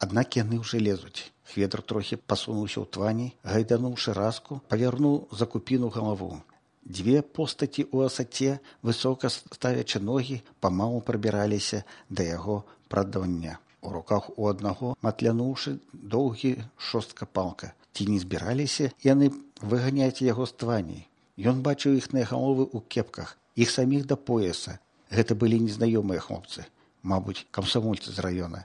Аднак яны ўжо лезуць. Хведр трохі пасунуўся ў твані, гайдануўшы раску, павярнуў за купіну галаву. Дзве постаці ў асаце, высока ставячы ногі, памалу прабіраліся да яго прадання. У руках у аднаго, матлянуўшы доўгі шостка палка. Ці не збіраліся яны выганяць яго з твані? Ён бачыў іхныя галовы ў кепках, іх саміх да пояса. Гэта былі незнаёмыя хлопцы, мабуть, камсамольцы з раёна.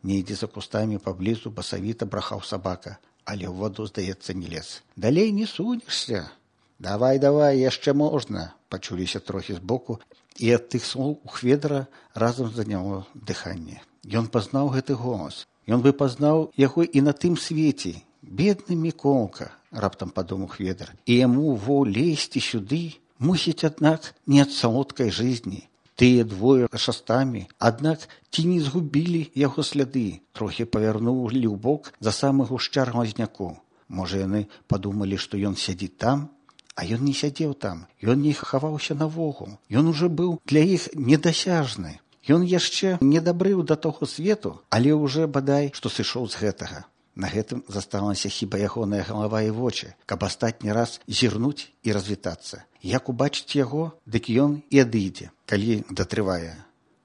Недзе за кустамі паблізу басавіта брахаў сабака, але ў ваду, здаецца, не лез. Далей не сунешся. Давай, яшчэ можна, пачуліся трохі збоку, і ад тых слоў у Хведра разам заняло дыханне. Ён пазнаў гэты голас. Ён бы пазнаў яго і на тым свеце. Бедны Міколка, раптам падумаў Хведр, і яму лезці сюды, мусіць, аднак, не ад салодкай жизни. Тыя двое шастамі, аднак ці не згубілі яго сляды, трохі павярнулі ў бок за самы гушчар лазняку. Можа, яны падумалі, што ён сядзіць там, а ён не сядзеў там, ён не хаваўся навогул, ён ужо быў для іх недасяжны. Ён яшчэ не дабрыў да таго свету, але ўжо бадай, што сышоў з гэтага. На гэтым засталася хіба ягоная галава і вочы, каб астатні раз зірнуць і развітацца. Як убачыць яго, дык ён і адыдзе, калі датрывае.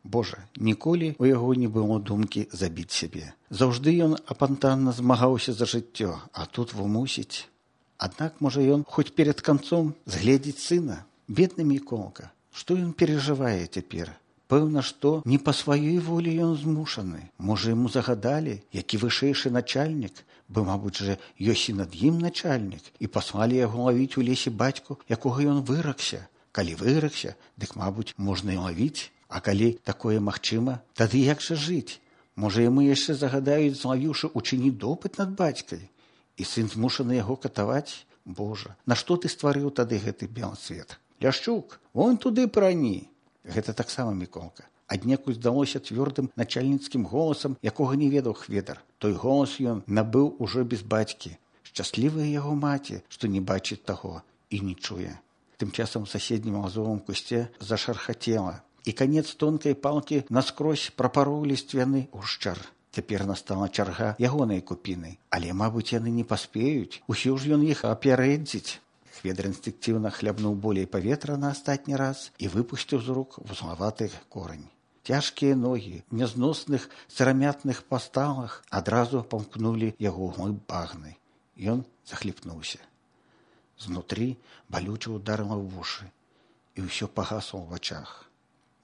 Божа, ніколі у яго не было думкі забіць сябе. Заўжды ён апантанна змагаўся за жыццё, а тут вымусіць. Аднак, можа, ён хоць перад канцом згледзець сына. Бедны Міколка, што ён перажывае цяпер? Пэўна, што не па сваёй волі ён змушаны. Можа, яму загадалі, які вышэйшы начальнік, бо, мабуть, жа ёсць і над ім начальнік, і паслалі яго лавіць у лесе бацьку, якога ён выракся. Калі выракся, дык, мабуть, можна і лавіць. А калі такое магчыма, тады як жа жыць? Можа, яму яшчэ загадаюць, злавіўшы, учыніць допыт над бацькай? І сын змушаны яго катаваць? Божа, нашто ты стварыў тады гэты белы свет? Ляшчук, вон туды прані. Гэта таксама Міколка. Аднекуль здалося цвёрдым начальніцкім голасам, якога не ведаў Хведр. Той голас ён набыў ужо без бацькі. Шчаслівая яго маці, што не бачыць таго і не чуе. Тым часам у суседнім лазовым кусце зашархацела, і канец тонкай палкі наскрозь прапароў ліствяны гушчар. Цяпер настала чарга ягонай купіны, але, мабуть, яны не паспеюць, усё ж ён іх апярэдзіць. Хведр інстынктыўна хлябнуў болей паветра на астатні раз і выпусціў з рук вузлаваты корань. Цяжкія ногі в нязносных сырамятных пасталах адразу памкнулі яго глыб багны. Ён захліпнуўся. Знутры балюча ударыла ў вушы, і ўсё пагасла ў вачах.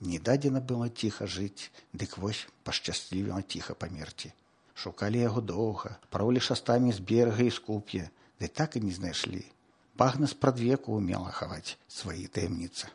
Не дадзена было ціха жыць, дык вось пашчаслівіла ціха памерці. Шукалі яго доўга, паролі шастамі з берага і з куп'я, ды так і не знайшлі. Багна спрадвеку ўмела хаваць свае таямніцы.